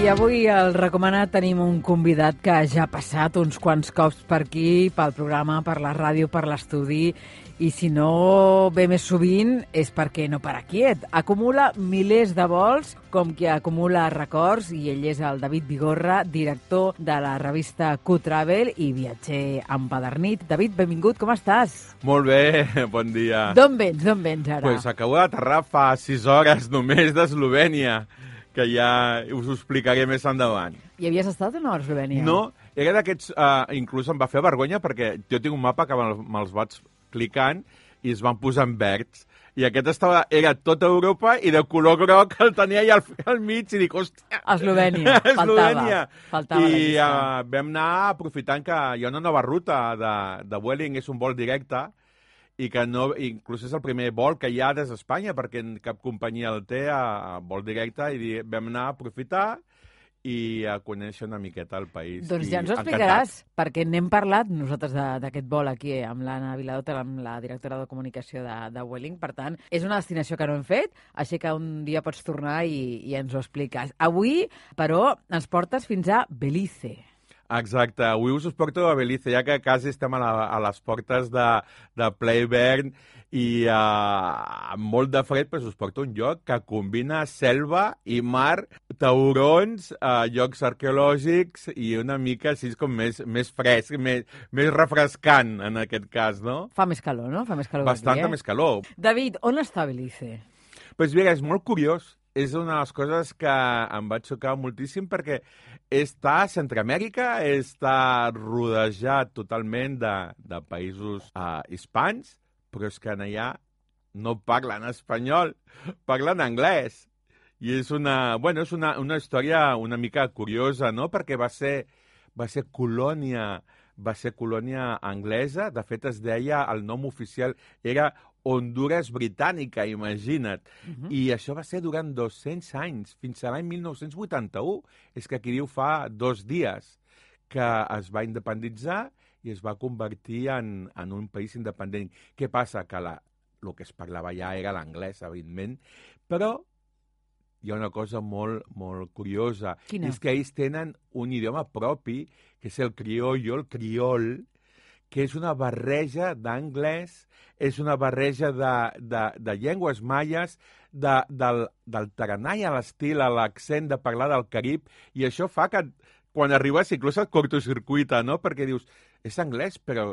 I avui al Recomanat tenim un convidat que ja ha passat uns quants cops per aquí, pel programa, per la ràdio, per l'estudi, i si no ve més sovint és perquè no para quiet. Acumula milers de vols, com que acumula records, i ell és el David Vigorra, director de la revista Q-Travel i viatger empadernit. David, benvingut, com estàs? Molt bé, bon dia. D'on vens ara? Pues acabo d'aterrar fa 6 hores només d'Eslovènia, que ja us ho explicaré més endavant. I havies estat o no a Eslovènia? No, era d'aquests... inclús em va fer vergonya perquè jo tinc un mapa que me'ls vaig clicant i es van posar en verds. I aquest era tota Europa i de color groc el tenia allà al mig i dic, hòstia... Eslovènia, faltava la I llista. vam anar aprofitant que hi ha una nova ruta de Vueling, és un vol directe, i que no, inclús és el primer vol que hi ha des d'Espanya, perquè cap companyia el té a vol directe, i vam anar a aprofitar i a conèixer una miqueta el país. Doncs ja ens ho explicaràs, perquè n'hem parlat nosaltres d'aquest vol aquí amb l'Anna Viladota, amb la directora de comunicació de Vueling. Per tant, és una destinació que no hem fet, així que un dia pots tornar i ens ho expliques. Avui, però, ens portes fins a Belize. Exacte, avui us porto a Belize, ja que quasi estem a les portes de ple hivern i amb molt de fred, pues us porto un lloc que combina selva i mar, taurons, llocs arqueològics i una mica així com més fresc, més refrescant en aquest cas, no? Fa més calor, no? Fa més calor Bastanta més calor. David, on està Belize? Pues mira, és molt curiós. És una de les coses que em va xocar moltíssim perquè està a Centroamèrica, està rodejat totalment de països hispans, però és que allà no parlen espanyol, parlen anglès. I és una història una mica curiosa, no? Perquè va ser colònia anglesa. De fet, es deia, el nom oficial era Honduras Britànica, imagina't. I això va ser durant 200 anys, fins a l'any 1981. És que aquí diu fa 2 dies que es va independitzar i es va convertir en un país independent. Què passa? Que el que es parlava ja era l'anglès, evidentment, però hi ha una cosa molt, molt curiosa. Quina? És que ells tenen un idioma propi, que és el criol, que és una barreja d'anglès, és una barreja de llengües maies, del taranai a l'estil, a l'accent de parlar del Carib, i això fa que quan arribes inclús et cortocircuita, no? Perquè dius, és anglès, però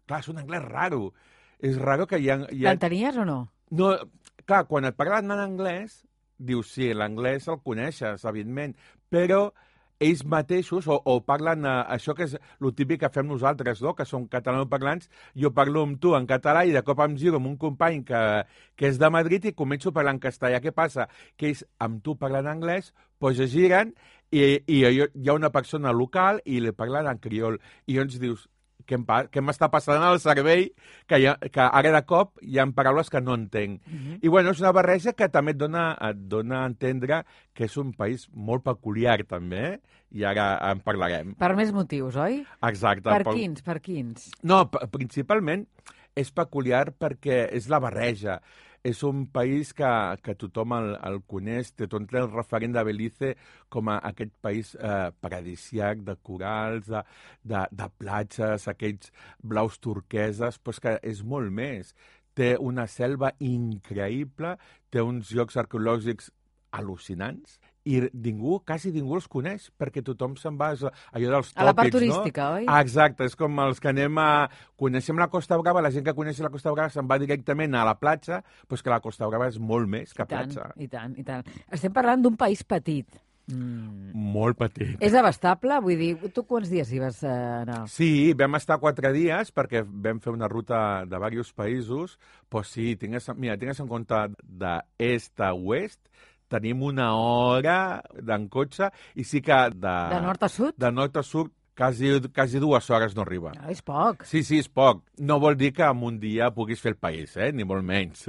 clar, és un anglès raro. És raro que hi ha... L'entenies o no? No, clar, quan et parlen en anglès, dius, sí, l'anglès el coneixes, evidentment, però ells mateixos, o parlen això que és el típic que fem nosaltres, no? Que som catalanoparlants, jo parlo amb tu en català i de cop em giro amb un company que és de Madrid i començo a parlar en castellà. Què passa? Que ells amb tu parlen anglès, doncs es giren i hi ha una persona local i li parlen en criol. I llavors dius, què m'està passant al cervell, que ara de cop hi ha paraules que no entenc. I bueno, és una barreja que també et dona a entendre que és un país molt peculiar, també, i ara en parlarem. Per més motius, oi? Exacte. Per quins? No, principalment és peculiar perquè és la barreja. És un país que tothom el coneix, tothom té el referent de Belize com a aquest país paradisíac de corals, de platges, aquells blaus turqueses, però és que és molt més. Té una selva increïble, té uns llocs arqueològics al·lucinants i quasi ningú els coneix, perquè tothom se'n va allò dels tòpics, a la part turística, oi? Exacte, és com els que coneixem la Costa Brava, la gent que coneix la Costa Brava se'n va directament a la platja, però que la Costa Brava és molt més que platja. I tant. Estem parlant d'un país petit. Molt petit. És abastable? Vull dir, tu quants dies hi vas anar? Sí, vam estar 4 dies perquè vam fer una ruta de diversos països, però sí, tingues en compte d'est a oest, tenim 1 hora en cotxe i sí que De nord a sud? De nord a sud quasi 2 hores no arriba. És poc. Sí, és poc. No vol dir que en un dia puguis fer el país, ni molt menys.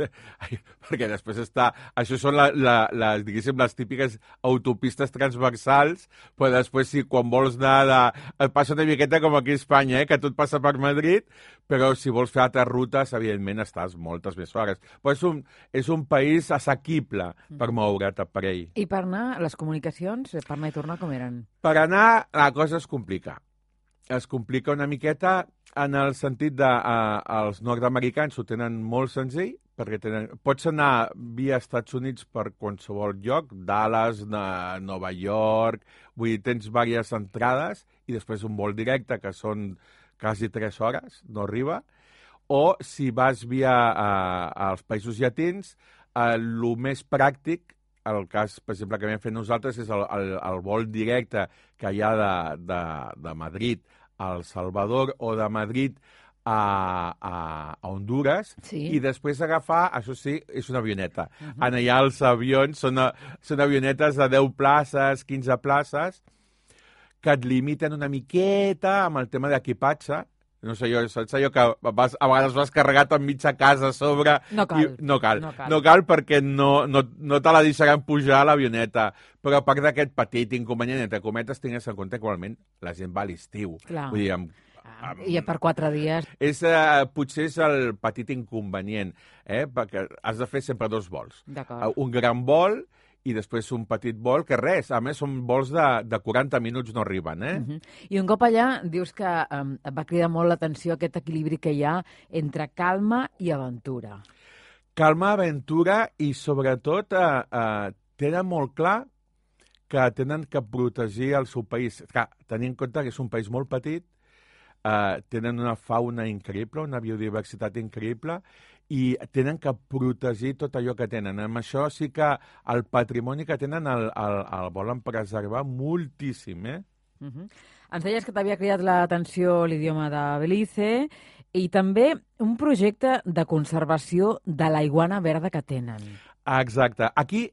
Perquè després Això són diguéssim, les típiques autopistes transversals, però després quan vols anar et passa una miqueta com aquí a Espanya, que tot passa per Madrid, però si vols fer altres rutes, evidentment estàs moltes més hores. Però és un país assequible per moure't per ell. I per anar, les comunicacions, per anar i tornar, com eren? Per anar, la cosa es complica. Es complica una miqueta en el sentit de els nord-americans ho tenen molt senzill, perquè pots anar via Estats Units per qualsevol lloc, Dallas, Nova York, vull dir, tens diverses entrades i després un vol directe, que són quasi 3 hores, no arriba, o si vas via als països llatins, el més pràctic, el cas, per exemple, que vam fer nosaltres és el vol directe que hi ha de Madrid a El Salvador o de Madrid a Honduras, i després agafar, això sí, és una avioneta. En allà els avions són avionetes de 10 places, 15 places, que et limiten una miqueta amb el tema d'equipatge. No sé, saps allò que a vegades vas carregat amb mitja casa a sobre... No cal. No cal perquè no te la deixaran pujar a l'avioneta. Però a part d'aquest petit inconvenient, entre cometes, tingues en compte que igualment la gent va a l'estiu. Vull dir, i per 4 dies. Potser és el petit inconvenient, perquè has de fer sempre 2 vols. Un gran vol i després un petit vol, que res, a més són vols de 40 minuts no arriben, I un cop allà dius que et va cridar molt l'atenció aquest equilibri que hi ha entre calma i aventura. Calma, aventura i sobretot tenen molt clar que tenen que protegir el seu país. Tenint en compte que és un país molt petit, tenen una fauna increïble, una biodiversitat increïble, i tenen que protegir tot allò que tenen. Amb això sí que el patrimoni que tenen el volen preservar moltíssim, Ens deies que t'havia cridat l'atenció l'idioma de Belize i també un projecte de conservació de la iguana verda que tenen. Exacte. Aquí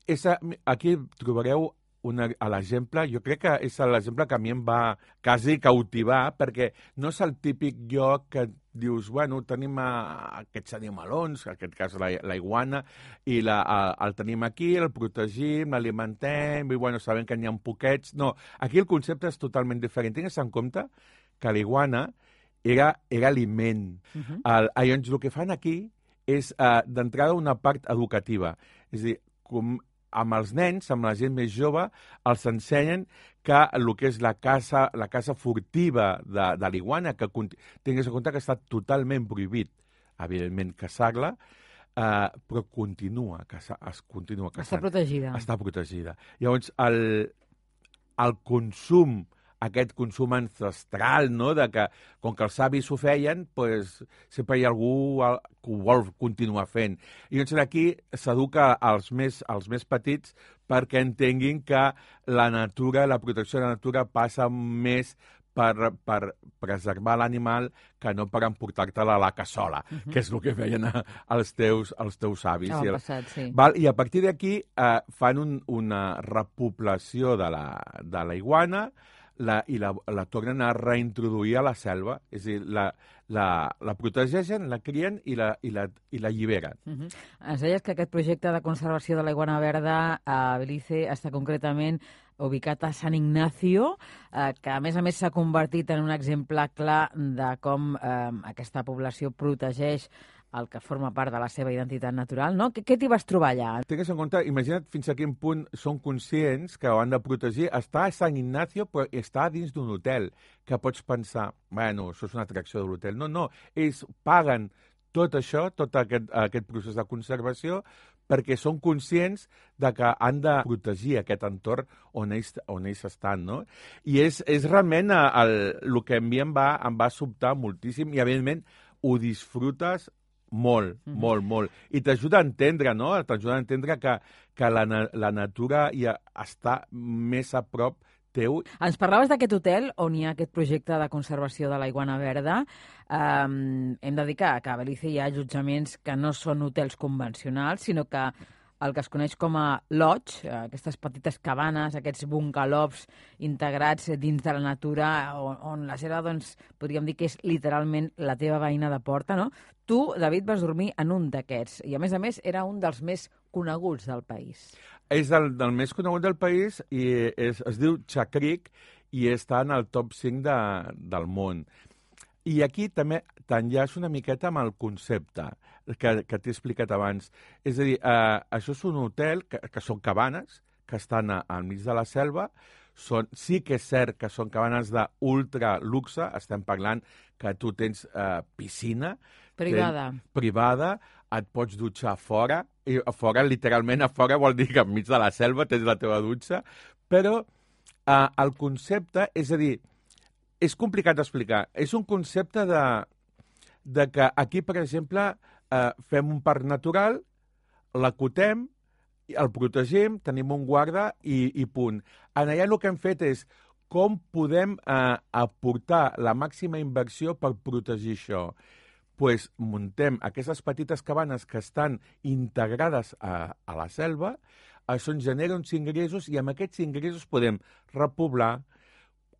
trobareu l'exemple, jo crec que és l'exemple que a mi em va quasi cautivar, perquè no és el típic lloc que dius, bueno, tenim aquests animalons, en aquest cas la iguana, i el tenim aquí, el protegim, l'alimentem, i bueno, sabem que n'hi ha poquets. No, aquí el concepte és totalment diferent. Tingues en compte que la iguana era aliment. Llavors, el que fan aquí és, d'entrada, una part educativa. És a dir, amb els nens, amb la gent més jove, els ensenyen que el que és la caça furtiva de l'iguana, que tinguis en compte que està totalment prohibit, evidentment, caçar-la, però continua caçant. Està protegida. Està protegida. Llavors, el consum, aquest consum ancestral, no?, de que, com que els avis ho feien, pues, sempre hi ha algú que ho vol continuar fent. I llavors aquí s'educa als més petits perquè entenguin que la natura, la protecció de la natura passa més per preservar l'animal que no per emportar-te-la a la cassola, que és el que feien els teus avis. Passat, sí. I a partir d'aquí fan una repoblació de la iguana, i la tornen a reintroduir a la selva, és a dir, la protegeixen, la crien i la alliberen. Ens deies que aquest projecte de conservació de la iguana verda a Belize està concretament ubicat a San Ignacio, que a més s'ha convertit en un exemple clar de com aquesta població protegeix el que forma part de la seva identitat natural, no? Què t'hi vas trobar allà? Tingues en compte, imagina't fins a quin punt són conscients que ho han de protegir. Està a Sant Ignacio, però està dins d'un hotel, que pots pensar, bueno, això és una atracció de l'hotel. No, ells paguen tot això, tot aquest procés de conservació, perquè són conscients de que han de protegir aquest entorn on ells estan, no? I és realment el que a mi em va sobtar moltíssim i, evidentment, ho disfrutes molt. I t'ajuda a entendre, no? T'ajuda a entendre que la natura ja està més a prop teu. Ens parlaves d'aquest hotel on hi ha aquest projecte de conservació de la iguana verda. Hem de dir que a Belize hi ha allotjaments que no són hotels convencionals, sinó que el que es coneix com a lodge, aquestes petites cabanes, aquests bungalows integrats dins de la natura, on la seva, doncs, podríem dir que és literalment la teva veïna de porta, no? Tu, David, vas dormir en un d'aquests i, a més, era un dels més coneguts del país. És del més conegut del país i es diu Chakrik i està en el top 5 del món. I aquí també t'enllaço una miqueta amb el concepte que t'he explicat abans. És a dir, això és un hotel que són cabanes, que estan al mig de la selva. Sí que és cert que són cabanes d'ultra luxe, estem parlant que tu tens piscina. Privada. Privada, et pots dutxar a fora, i a fora, literalment a fora vol dir que enmig de la selva tens la teva dutxa, però el concepte, és a dir, és complicat d'explicar. És un concepte de que aquí, per exemple, fem un parc natural, l'acotem, el protegim, tenim un guarda i punt. En allà el que hem fet és com podem aportar la màxima inversió per protegir això. Pues muntem aquestes petites cabanes que estan integrades a la selva, això ens genera uns ingressos i amb aquests ingressos podem repoblar,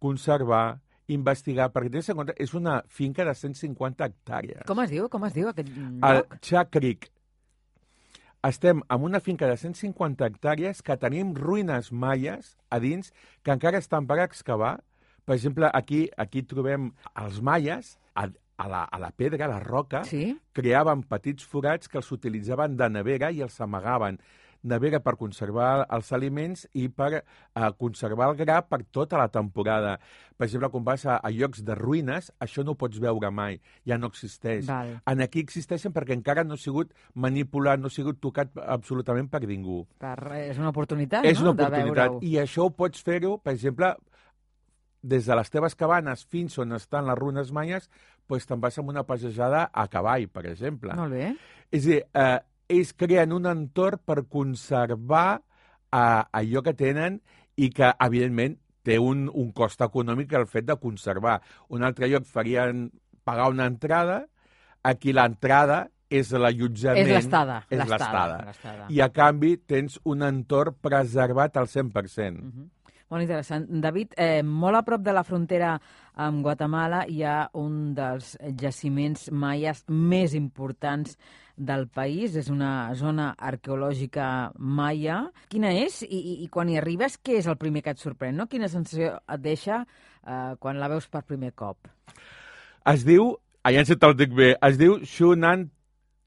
conservar, investigar, perquè és una finca de 150 hectàrees. Com es diu aquest lloc? El Chakrik. Estem en una finca de 150 hectàrees que tenim ruïnes maies a dins que encara estan per excavar. Per exemple, aquí trobem els maies a la pedra, a la roca, sí? Creaven petits forats que els utilitzaven de nevera i els amagaven. Nevera per conservar els aliments i per conservar el gra per tota la temporada. Per exemple, quan vas a llocs de ruïnes, això no ho pots veure mai, ja no existeix. Val. En aquí existeixen perquè encara no ha sigut manipulat, no ha sigut tocat absolutament per ningú. És una oportunitat, És una no?, oportunitat. I això ho pots fer-ho, per exemple, des de les teves cabanes fins on estan les ruïnes maies, doncs te'n vas amb una passejada a cavall, per exemple. Molt bé. És a dir, ells creen un entorn per conservar allò que tenen i que, evidentment, té un cost econòmic el fet de conservar. Un altre lloc farien pagar una entrada, aquí l'entrada és l'allotjament. És l'estada. És l'estada. I, a canvi, tens un entorn preservat al 100%. Molt interessant. David, molt a prop de la frontera amb Guatemala hi ha un dels jaciments maies més importants del país. És una zona arqueològica maia. Quina és? I quan hi arribes, què és el primer que et sorprèn? No? Quina sensació et deixa quan la veus per primer cop? Es diu, allà si te'l dic bé, es diu Xunan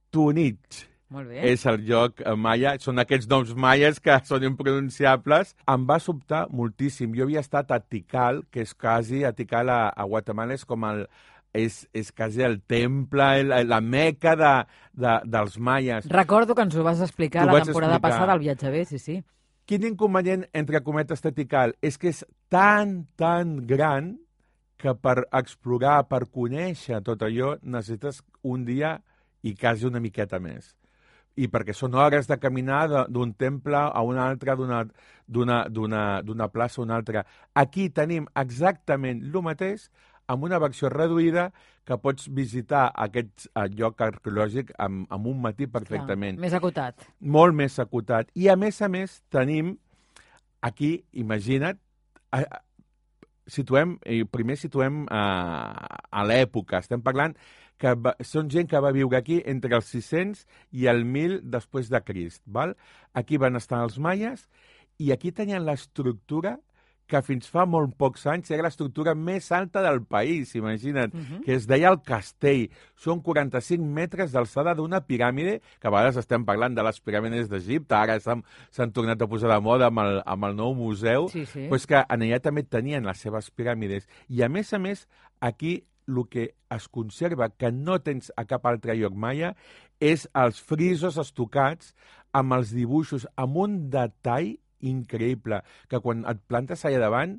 Tunich. Molt bé. És el lloc maia, són aquests noms maies que són impronunciables. Em va sobtar moltíssim. Jo havia estat a Tikal, que és quasi, a Tikal a Guatemala és com és quasi el temple, la meca dels maies. Recordo que ens ho vas explicar la temporada passada al Viatge B, sí. Quin inconvenient, entre cometes, de Tikal? És que és tan gran que per explorar, per conèixer tot allò, necessites un dia i quasi una miqueta més. I perquè són hores de caminar d'un temple a un altre, d'una plaça a una altra. Aquí tenim exactament el mateix, amb una versió reduïda, que pots visitar aquest lloc arqueològic amb un matí perfectament. Clar, més acotat. Molt més acotat. I, a més, tenim aquí, imagina't, primer situem a l'època. Estem parlant que són gent que va viure aquí entre els 600 i el 1000 després de Crist. Val? Aquí van estar els maies i aquí tenien l'estructura que fins fa molt pocs anys era l'estructura més alta del país, imagina't, que es deia el castell. Són 45 metres d'alçada d'una piràmide, que a vegades estem parlant de les piràmides d'Egipte, ara s'han tornat a posar de moda amb el nou museu, però és que en allà també tenien les seves piràmides. I, a més, aquí el que es conserva, que no tens a cap altre lloc maia, és els frisos estucats amb els dibuixos, amb un detall increïble, que quan et plantes allà davant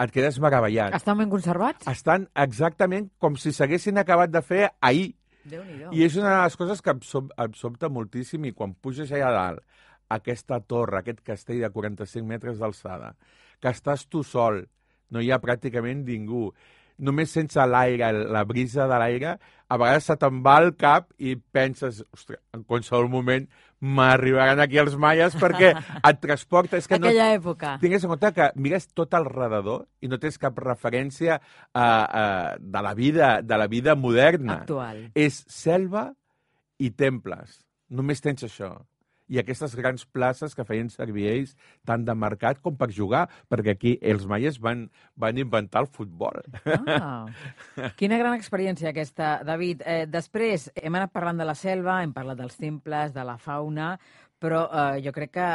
et quedes meravellat. Estan ben conservats? Estan exactament com si s'haguessin acabat de fer ahir. Déu-n'hi-do. I és una de les coses que em sobta moltíssim, i quan puges allà dalt, aquesta torre, aquest castell de 45 metres d'alçada, que estàs tu sol, no hi ha pràcticament ningú, només sense l'aire, la brisa de l'aire, a vegades se te'n va al cap i penses, ostres, en qualsevol moment m'arribaran aquí els maies perquè et transporta. És que aquella època. Tingues en compte que mires tot al redador i no tens cap referència de la vida moderna. Actual. És selva i temples. Només tens això. I aquestes grans places que feien servir ells tant de mercat com per jugar, perquè aquí els maies van inventar el futbol. Quina gran experiència aquesta, David. Després hem anat parlant de la selva, hem parlat dels temples, de la fauna, però jo crec que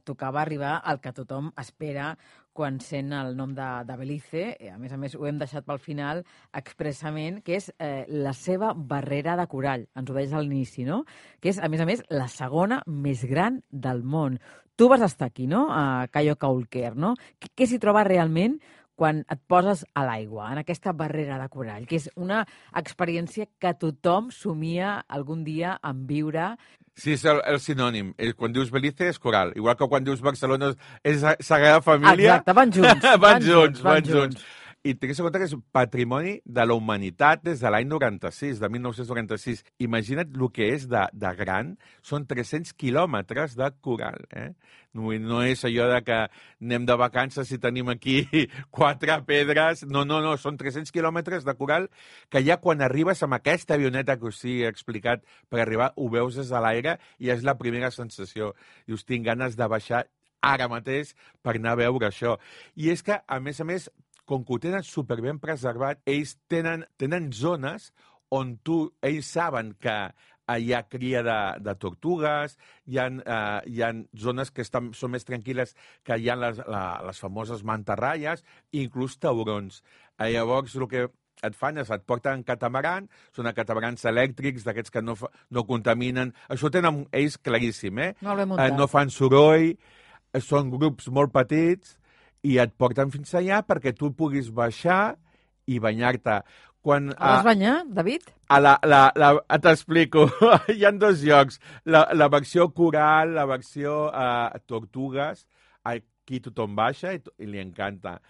tocava arribar al que tothom espera quan sent el nom de Belize. A més, ho hem deixat pel final expressament, que és la seva barrera de corall. Ens ho deies a l'inici, no? Que és, a més, la segona més gran del món. Tu vas estar aquí, no? A Cayo Caulker, no? Què s'hi troba realment quan et poses a l'aigua, en aquesta barrera de corall? Que és una experiència que tothom somia algun dia en viure. Sí, és el sinònim. Quan dius Belize és coral. Igual que quan dius Barcelona és Sagrada Família. Exacte, van junts. van junts. I tingues en compte que és patrimoni de la humanitat des de l'any 96, de 1996. Imagina't el que és de gran. Són 300 quilòmetres de coral. No és allò de que anem de vacances i tenim aquí 4 pedres. No, són 300 quilòmetres de coral que ja quan arribes amb aquesta avioneta que us he explicat per arribar, ho veus des de l'aire i és la primera sensació. Dius, tinc ganes de baixar ara mateix per anar a veure això. I és que, a més, com que ho tenen superben preservat, ells tenen zones on ells saben que hi ha cria de tortugues, hi ha zones que són més tranquil·les, que hi ha les famoses mantarraies, inclús taurons. Llavors, el que et fan és et porten catamaran, són catamarans elèctrics, d'aquests que no contaminen. Això ho tenen ells claríssim, Molt ben muntat. No fan soroll, són grups molt petits, i et porten fins allà perquè tu puguis baixar i banyar-te. Vas banyar, David? T'explico. Hi ha 2 llocs. La versió coral, la versió tortugues. Aquí tothom baixa i li encanta.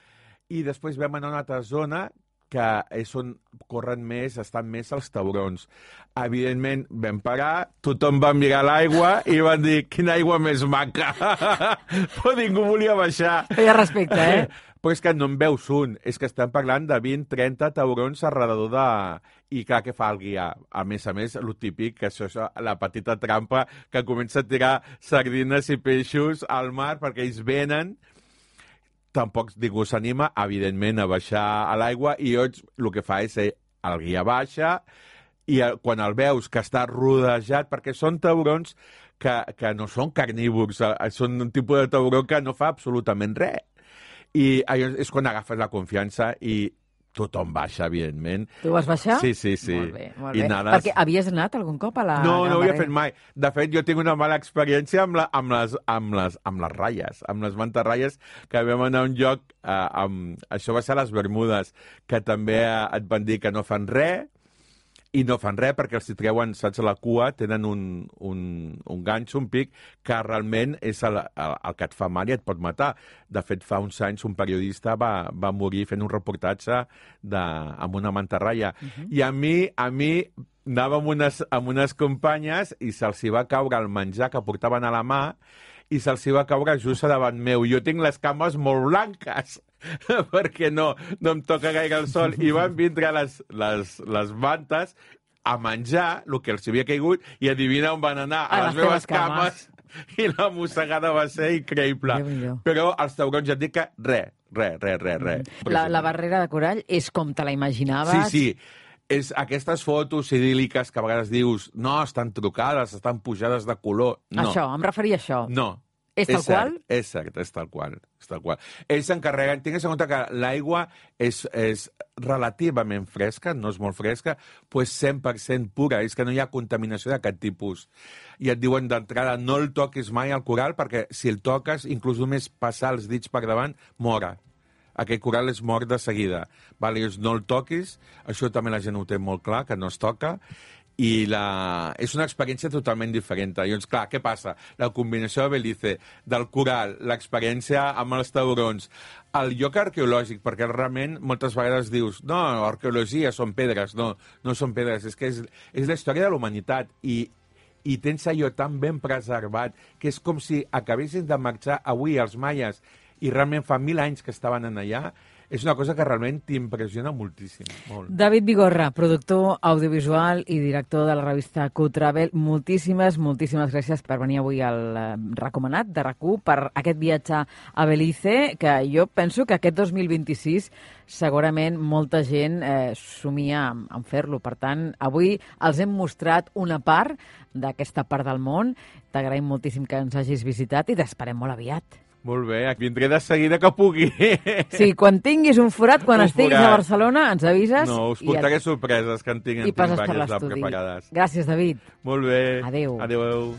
I després vam anar a una altra zona que és on corren més, estan més els taurons. Evidentment, vam parar, tothom va mirar l'aigua i van dir, quina aigua més maca! Però ningú volia baixar. Feia respecte, Però és que no en veus un, és que estem parlant de 20-30 taurons alrededor de... I clar, què fa el guia? A més, el típic, que això és la petita trampa que comença a tirar sardines i peixos al mar perquè ells venen. Tampoc ningú s'anima, evidentment, a baixar a l'aigua i el que fa és el guia baixa i quan el veus que està rodejat, perquè són taurons que no són carnívors, són un tipus de tauró que no fa absolutament res. I és quan agafes la confiança i tothom baixa, evidentment. Tu vas baixar? Sí. Molt bé. Perquè havies anat algun cop a la... No ho havia fet mai. De fet, jo tinc una mala experiència amb les ratlles, amb les mantarraies, que vam anar a un lloc, això va ser a les Bermudes, que també et van dir que no fan res, i no fan res perquè els hi treuen, saps, a la cua, tenen un ganxo, un pic, que realment és el que et fa mal i et pot matar. De fet, fa uns anys un periodista va morir fent un reportatge amb una mantarraia. I a mi anava amb unes companyes i se'ls va caure el menjar que portaven a la mà i se'ls va caure just davant meu. Jo tinc les cames molt blanques perquè no em toca gaire el sol i van vindre les mantes a menjar el que els havia caigut i adivina on van anar, a les meves cames. I la mossegada va ser increïble. Però els taurons ja et dic que res. La barrera de corall és com te la imaginaves? Sí. És aquestes fotos idíl·liques que a vegades dius no, estan trucades, estan pujades de color. No. Això, em referia a això. No. És tal qual? És cert, és tal qual. Ells s'encarreguen, tingues en compte que l'aigua és relativament fresca, no és molt fresca, però és 100% pura, és que no hi ha contaminació d'aquest tipus. I et diuen d'entrada, no el toquis mai al coral, perquè si el toques, inclús només passar els dits per davant, mora. Aquest coral es mor de seguida. Vale, no el toquis, això també la gent ho té molt clar, que no es toca, és una experiència totalment diferent. Llavors, clar, què passa? La combinació de Belize, del coral, l'experiència amb els taurons, el lloc arqueològic, perquè realment moltes vegades dius no, arqueologia són pedres. No, no són pedres, és que és la història de la humanitat i tens allò tan ben preservat que és com si acabessin de marxar avui els maies i realment fa 1.000 anys que estaven en allà. És una cosa que realment t'impressiona moltíssim. Molt. David Vigorra, productor audiovisual i director de la revista Q-Travel, moltíssimes gràcies per venir avui al recomanat de RAC1 per aquest viatge a Belize, que jo penso que aquest 2026 segurament molta gent somia en fer-lo. Per tant, avui els hem mostrat una part d'aquesta part del món. T'agraïm moltíssim que ens hagis visitat i t'esperem molt aviat. Molt bé, vindré de seguida que pugui. Sí, quan tinguis un forat, quan estiguis a Barcelona, ens avises. No, us portaré sorpreses que en tinc i passes per l'estudi. preparades. Gràcies, David. Molt bé. Adéu. Adéu.